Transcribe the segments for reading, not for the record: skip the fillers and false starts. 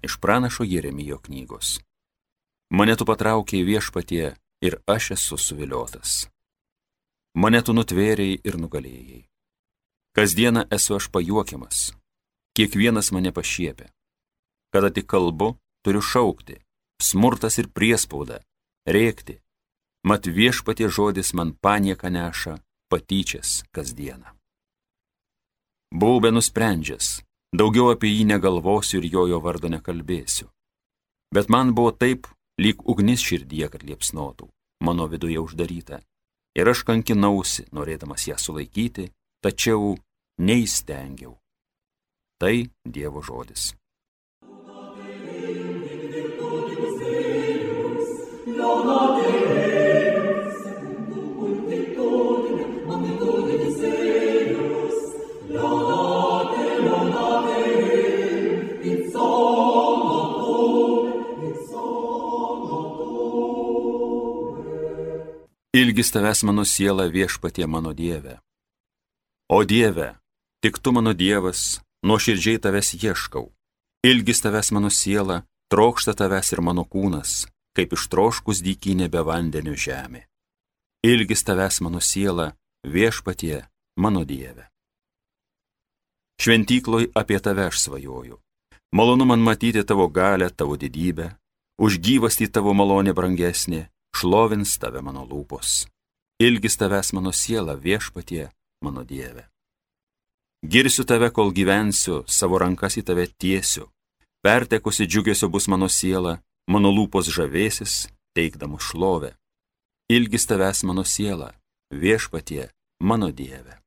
Iš pranašo Jeremijo knygos. Mane tu patraukei viešpatie ir aš esu suviliotas. Mane tu nutvėrėjai ir nugalėjai. Kasdieną esu aš pajuokiamas, kiekvienas mane pašiepia. Kada tik kalbu, turiu šaukti, smurtas ir priespauda, rėkti. Mat viešpatie žodis man panieką neša, patyčias kasdieną. Buvau be nusprendžias, daugiau apie jį negalvosiu ir jo vardo nekalbėsiu. Bet man buvo taip, lyg ugnis širdyje, kad liepsnotų, mano viduje uždaryta. Ir aš kankinausi, norėdamas ją sulaikyti, tačiau neįstengiau. Tai Dievo žodis. Ilgis tavęs mano siela viešpatie mano Dieve. O Dieve, tik tu mano Dievas, nuoširdžiai tavęs ieškau. Ilgis tavęs mano siela, trokšta tavęs ir mano kūnas, kaip ištroškus dykynė be vandenio žemė. Ilgis tavęs mano siela, viešpatie mano Dieve. Šventykloj apie tave aš svajoju. Malonu man matyti tavo galę, tavo didybę, už gyvastį tavo malonė brangesnė, šlovins tave mano lūpos. Ilgis tavęs mano siela, viešpatie mano Dieve. Girsiu tave, kol gyvensiu, savo rankas į tave tiesiu. Pertekusi džiugesio bus mano siela, mano lūpos žavėsis, teikdamos šlovę. Ilgis tavęs mano siela, viešpatie mano Dieve.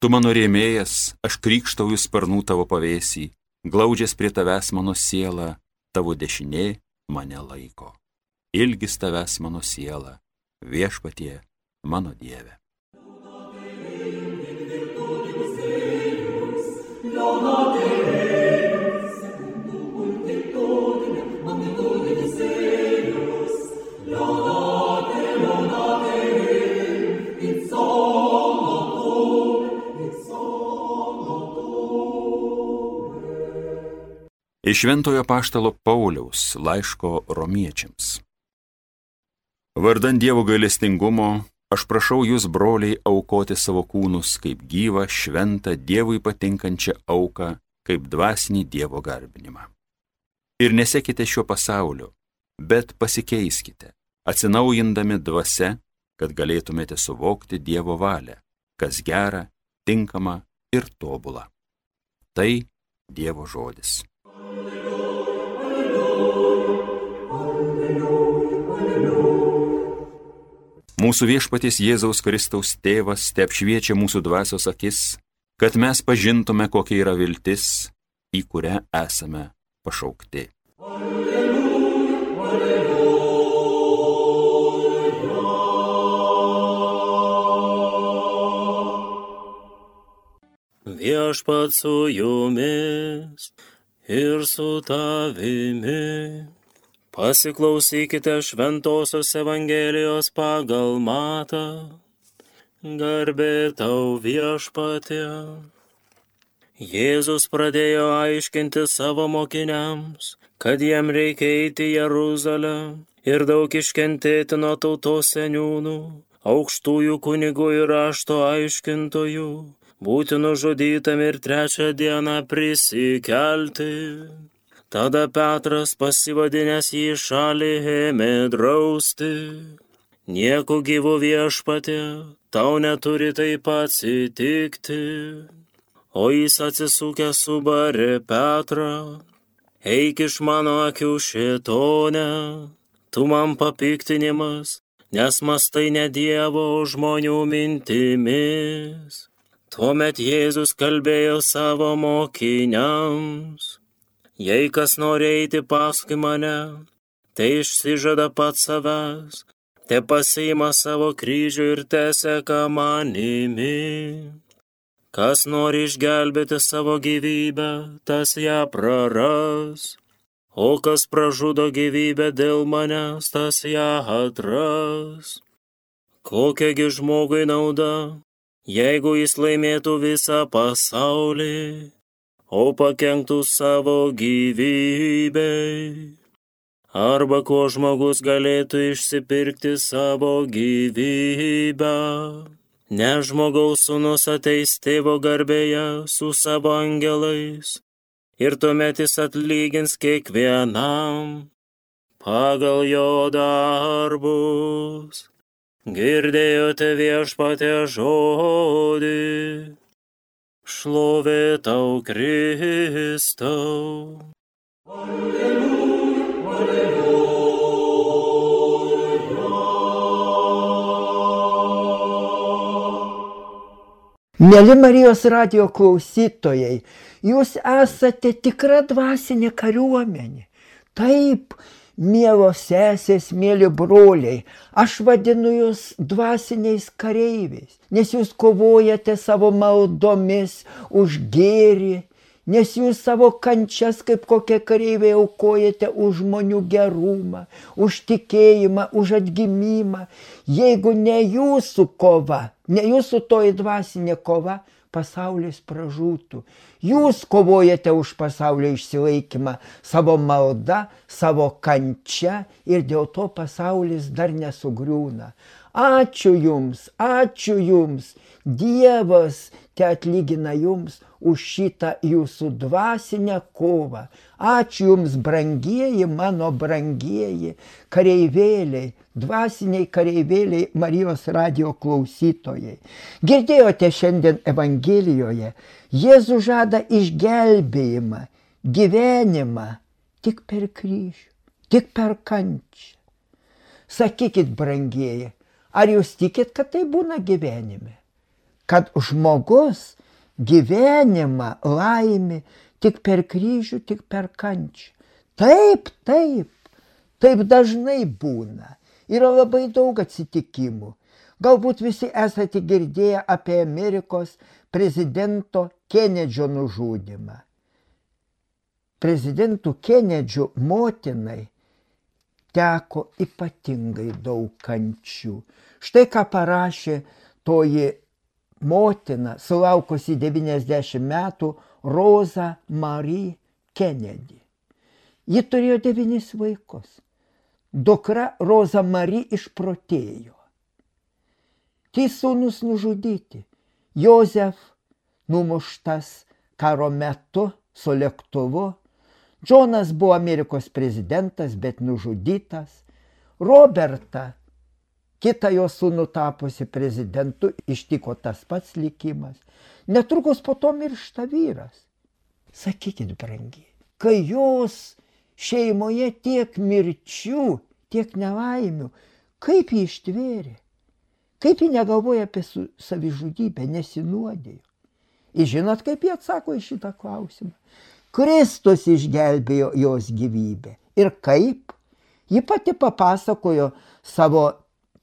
Tu mano rėmėjas, aš krykštauju sparnų tavo pavėsį, glaudžias prie tavęs mano siela, tavo dešinė mane laiko. Ilgis tavęs mano siela, viešpatie mano Dieve. Iš Šventojo apaštalo Pauliaus laiško romiečiams. Vardan Dievo gailestingumo, aš prašau jūs, broliai, aukoti savo kūnus kaip gyvą, šventą, Dievui patinkančią auką, kaip dvasinį Dievo garbinimą. Ir nesekite šiuo pasauliu, bet pasikeiskite, atsinaujindami dvasia, kad galėtumėte suvokti Dievo valią, kas gera, tinkama ir tobula. Tai Dievo žodis. Mūsų viešpaties Jėzaus Kristaus tėvas te apšviečia mūsų dvasios akis, kad mes pažintume, kokia yra viltis, į kurią esame pašaukti. Viešpats su jumis ir su tavimi. Pasiklausykite Šventosios Evangelijos pagal Matą. Garbė tau, viešpatie. Jėzus pradėjo aiškinti savo mokiniams, kad jiem reikia eiti į Jeruzalę ir daug iškentėti nuo tautos seniūnų, aukštųjų kunigų ir rašto aiškintojų, būti nužudytam ir 3 dieną prisikelti. Tada Petras, pasivadinęs jį šalį, ėmė drausti. Nieku gyvu, viešpatie, tau neturi taip atsitikti. O jis atsisukęs subarė Petrą. Eik iš mano akių, šėtone, tu man papiktinimas, nes mąstai ne Dievo, o žmonių mintimis. Tuomet Jėzus kalbėjo savo mokiniams. Jei kas nori eiti paskui mane, tai išsižada pats savęs, te pasiima savo kryžių ir teseka manimi. Kas nori išgelbėti savo gyvybę, tas ją praras, o kas pražudo gyvybę dėl manęs, tas ją atras. Kokiagi žmogui nauda, jeigu jis laimėtų visą pasaulį, o pakenktų savo gyvybei. Arba kuo žmogus galėtų išsipirkti savo gyvybę. Nes žmogaus sūnus ateis tėvo garbėje su savo angelais ir tuomet jis atlygins kiekvienam pagal jo darbus. Girdėjote viešpatie žodį, šlovė tau Kristau. Mėly Marijos radijo klausytojai, jūs esate tikra dvasinė kariuomenė. Taip, mielos sesės, mėly broliai, aš vadinu jūs dvasiniais kareiviais, nes jūs kovojate savo maldomis už gėrį, nes jūs savo kančias kaip kokie kareiviai aukojate už žmonių gerumą, už tikėjimą, už atgimimą. Jeigu ne jūsų kova, ne jūsų toji dvasinė kova, pasaulis pražūtų. Jūs kovojate už pasaulio išsilaikymą savo malda, savo kančia ir dėl to pasaulis dar nesugriūna. Ačiū jums, ačiū jums. Dievas te atlygina jums už šitą jūsų dvasinę kovą. Ačiū jums, brangieji, mano brangieji kareivėliai, dvasiniai kareivėliai Marijos radijo klausytojai. Girdėjote šiandien Evangelijoje, Jėzus žada išgelbėjimą, gyvenimą tik per kryžių, tik per kančią. Sakykit, brangieji, ar jūs tikit, kad tai būna gyvenime? Kad žmogus gyvenimą laimi tik per kryžių, tik per kančią. Taip, taip, taip dažnai būna. Yra labai daug atsitikimų. Galbūt visi esate girdėję apie Amerikos prezidento Kenedžio nužudymą. Prezidentų Kenedžio motinai teko ypatingai daug kančių. Štai ką parašė toji motina, sulaukusi 90 metų, Rosa Marie Kennedy. Ji turėjo 9 vaikus. Dukra Rosa Marie išprotėjo. 3 sūnus nužudyti. Jozef numuštas karo metu su lėktuvu. Džonas buvo Amerikos prezidentas, bet nužudytas. Roberta, kitą jo sūnų tapusi prezidentu, ištiko tas pats likimas. Netrukus po to miršta vyras. Sakykit, brangiai, kai jos šeimoje tiek mirčių, tiek nelaimių, kaip jį ištvėrė? Kaip jį negalvoja apie savižudybę, nesinuodėjo? Ir žinot, kaip jie atsako į šitą klausimą? Kristus išgelbėjo jos gyvybę. Ir kaip? Ji pati papasakojo savo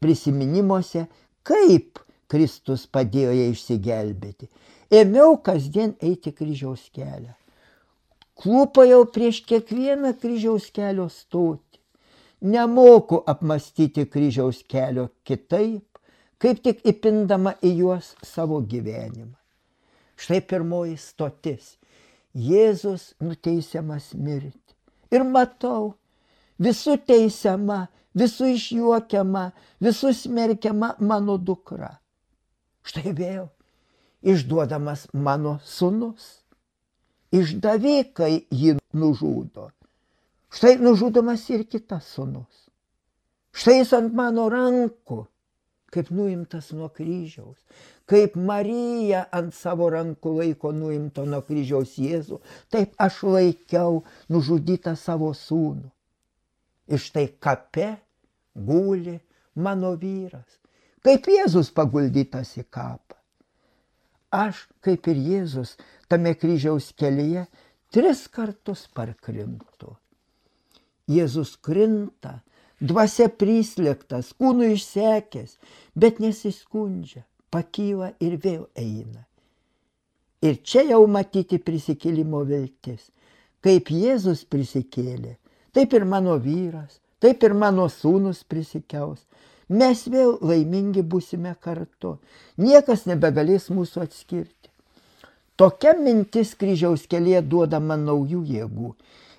prisiminimuose, kaip Kristus padėjo jai išsigelbėti. Ėmiau kasdien eiti kryžiaus kelią. Klūpojau prieš kiekvieną kryžiaus kelio stotį. Nemoku apmąstyti kryžiaus kelio kitaip, kaip tik įpindama į juos savo gyvenimą. Štai pirmoji stotis. Jėzus nuteisiamas mirti. Ir matau, visų teisiama, visų išjuokiama, visų smerkiama mano dukra. Štai vėl išduodamas mano sūnus. Išdavikai jį nužudo. Štai nužudomas ir kitas sūnus. Štai jis ant mano rankų, kaip nuimtas nuo kryžiaus. Kaip Marija ant savo rankų laiko nuimto nuo kryžiaus Jėzų, taip aš laikiau nužudytą savo sūnų. Ir štai kape guli mano vyras, kaip Jėzus paguldytas į kapą. Aš, kaip ir Jėzus, tame kryžiaus kelyje 3 kartus parkrintu. Jėzus krinta, dvasia prislėgtas, kūnu išsekęs, bet nesiskundžia, pakyla ir vėl eina. Ir čia jau matyti prisikėlimo viltis. Kaip Jėzus prisikėlė, taip ir mano vyras, taip ir mano sūnus prisikels. Mes vėl laimingi būsime kartu. Niekas nebegalės mūsų atskirti. Tokia mintis kryžiaus kelyje duoda man naujų jėgų.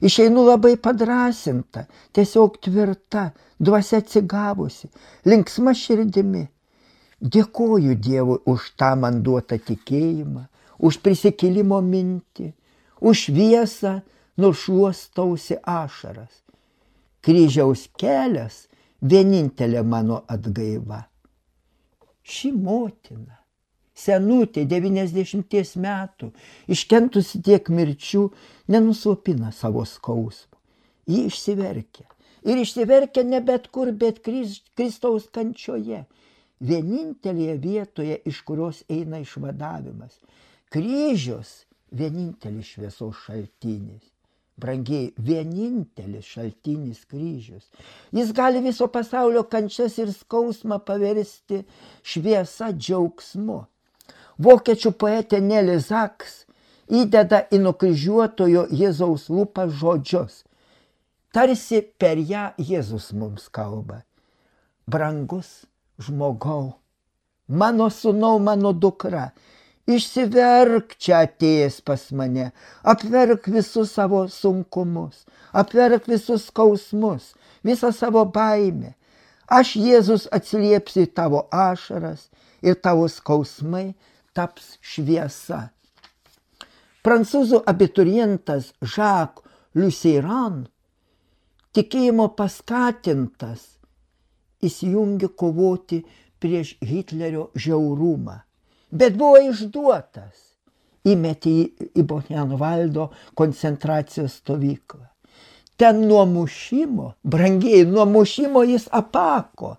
Išeinu labai padrasinta, tiesiog tvirta, dvasia atsigavusi, linksma širdimi. Dėkoju Dievui už tą man duotą tikėjimą, už prisikėlimo mintį, už šviesą, nušluostausi ašaras. Kryžiaus kelias vienintelė mano atgaiva. Ši motina, senutė 90 metų, iškentusi tiek mirčių, nenuslopina savo skausmo. Ji išsiverkia. Ir išsiverkia ne bet kur, bet Kristaus kančioje. Vienintelėje vietoje, iš kurios eina išvadavimas. Kryžius vienintelis šviesos šaltinis. Brangiai, vienintelis šaltinis kryžius. Jis gali viso pasaulio kančias ir skausmą paversti šviesa džiaugsmu. Vokiečių poetė Nelly Sachs įdeda į nukryžiuotojo Jėzaus lūpas žodžius. Tarsi per ją Jėzus mums kalba. Brangus žmogau, mano sūnau, mano dukra, išsiverk čia atėjęs pas mane, apverk visus savo sunkumus, apverk visus skausmus, visą savo baimę. Aš, Jėzus, atsiliepsiu į tavo ašaras ir tavo skausmai taps šviesa. Prancūzų abiturientas Jacques Lucieran, tikėjimo paskatintas, įsijungė kovoti prieš Hitlerio žiaurumą. Bet buvo išduotas, įmetė į Buchenvaldo koncentracijos stovyklą. Ten nuo mušimo, brangiai, nuo mušimo jis apako.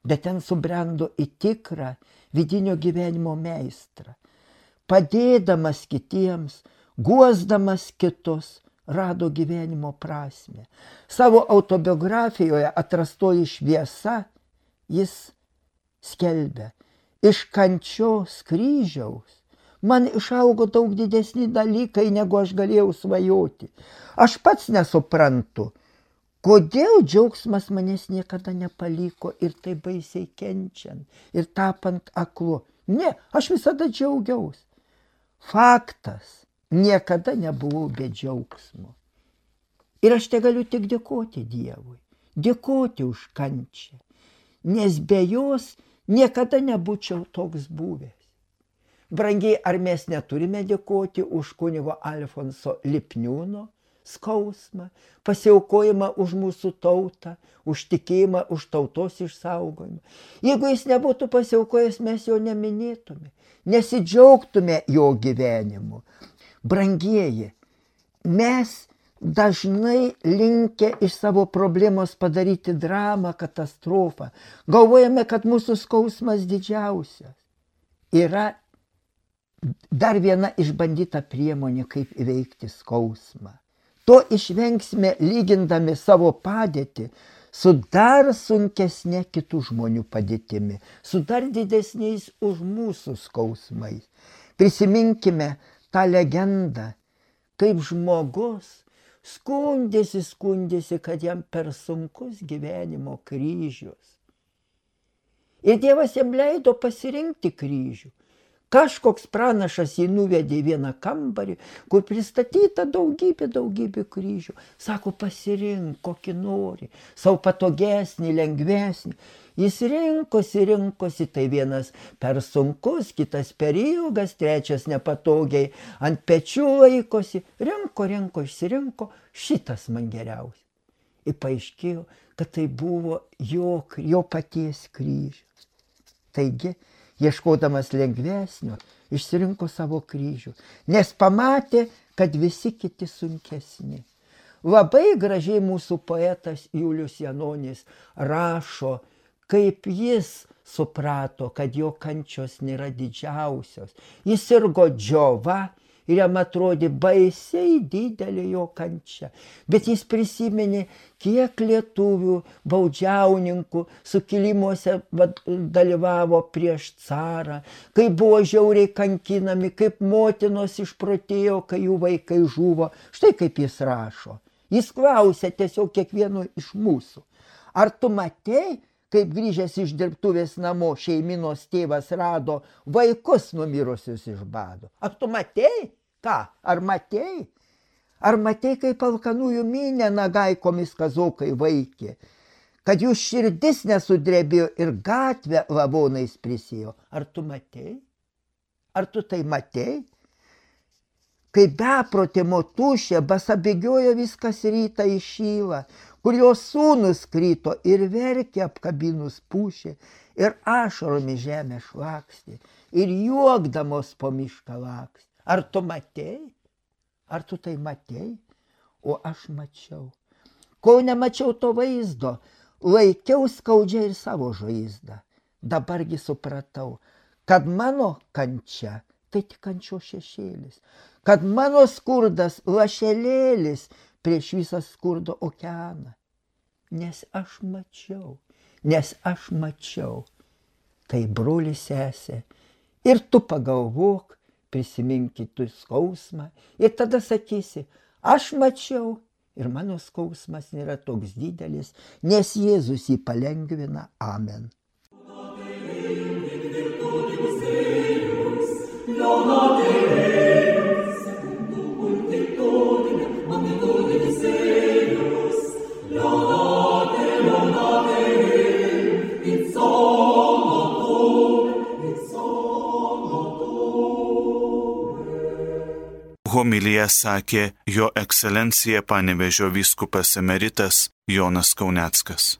Bet ten subrendo į tikrą vidinio gyvenimo meistrą. Padėdamas kitiems, guosdamas kitus, rado gyvenimo prasmę. Savo autobiografijoje Atrastoji šviesa jis skelbia: iš kančios kryžiaus man išaugo daug didesni dalykai, negu aš galėjau svajoti. Aš pats nesuprantu, kodėl džiaugsmas manęs niekada nepaliko ir taip baisiai kenčiant ir tapant aklu. Ne, aš visada džiaugiausi. Faktas, niekada nebuvau be džiaugsmo. Ir aš te galiu tik dėkoti Dievui, dėkoti už kančią, nes be jos niekada nebūčiau toks buvęs. Brangiai, ar mes neturime dėkoti už kunigo Alfonso Lipniūno skausmą, pasiaukojimą už mūsų tautą, už tikėjimą, už tautos išsaugojimą? Jeigu jis nebūtų pasiaukojęs, mes jo neminėtume, nesidžiaugtume jo gyvenimu. Brangieji, mes dažnai linkę iš savo problemos padaryti dramą, katastrofą. Galvojame, kad mūsų skausmas didžiausias. Yra dar viena išbandyta priemonė, kaip įveikti skausmą. To išvengsime lygindami savo padėtį su dar sunkesnė kitų žmonių padėtimi, su dar didesniais už mūsų skausmais. Prisiminkime tą legendą, kaip žmogus skundėsi, kad jam per sunkus gyvenimo kryžius. Ir Dievas jam leido pasirinkti kryžių. Kažkoks pranašas jį nuvedė į vieną kambarį, kur pristatyta daugybė kryžių. Sako, pasirink, kokį nori, savo patogesnį, lengvesnį. Jis rinkosi, tai vienas per sunkus, kitas per ilgas, trečias nepatogiai ant pečių laikosi. Rinko, išsirinko, šitas man geriausias. Ir paaiškėjo, kad tai buvo jo paties kryžius. Taigi, ieškodamas lengvesnio, išsirinko savo kryžių, nes pamatė, kad visi kiti sunkesni. Labai gražiai mūsų poetas Julius Janonis rašo, kaip jis suprato, kad jo kančios nėra didžiausios. Jis sirgo džiova ir jam atrodė baisiai didelė jo kančia. Bet jis prisiminė, kiek lietuvių baudžiauninkų sukilimuose dalyvavo prieš carą, kaip buvo žiauriai kankinami, kaip motinos išprotėjo, kai jų vaikai žuvo. Štai kaip jis rašo. Jis klausė tiesiog kiekvieno iš mūsų: ar tu matei, kaip grįžęs iš dirbtuvės namo šeiminos tėvas rado vaikus numirusius iš bado. Ar tu matei? Ką? Ar matei? Ar matei, kaip alkanųjų minią nagaikomis kazokai vaikė, kad jų širdis nesudrebėjo ir gatvę lavonais prisėjo? Ar tu matei? Ar tu tai matei? Kai beprotė motušė basabėgiojo viskas rytą į šylą, kur jos sūnus krito ir verkė apkabinus pušė, ir ašaromis žemę šlakstė, ir juokdamos po mišką lakstė. Ar tu matei? Ar tu tai matei? O aš mačiau. Kol nemačiau to vaizdo, laikiau skaudžiai ir savo žaizdą. Dabargi supratau, kad mano kančia tai tik kančio šešėlis, kad mano skurdas lašelėlis prieš visą skurdo okeaną. Nes aš mačiau. Tai brolis sesė. Ir tu pagalvok, prisimink kitų skausmą ir tada sakysi, aš mačiau ir mano skausmas nėra toks didelis, nes Jėzus jį palengvina. Amen. Homiliją sakė jo ekscelencija Panevėžio vyskupas emeritas Jonas Kauneckas.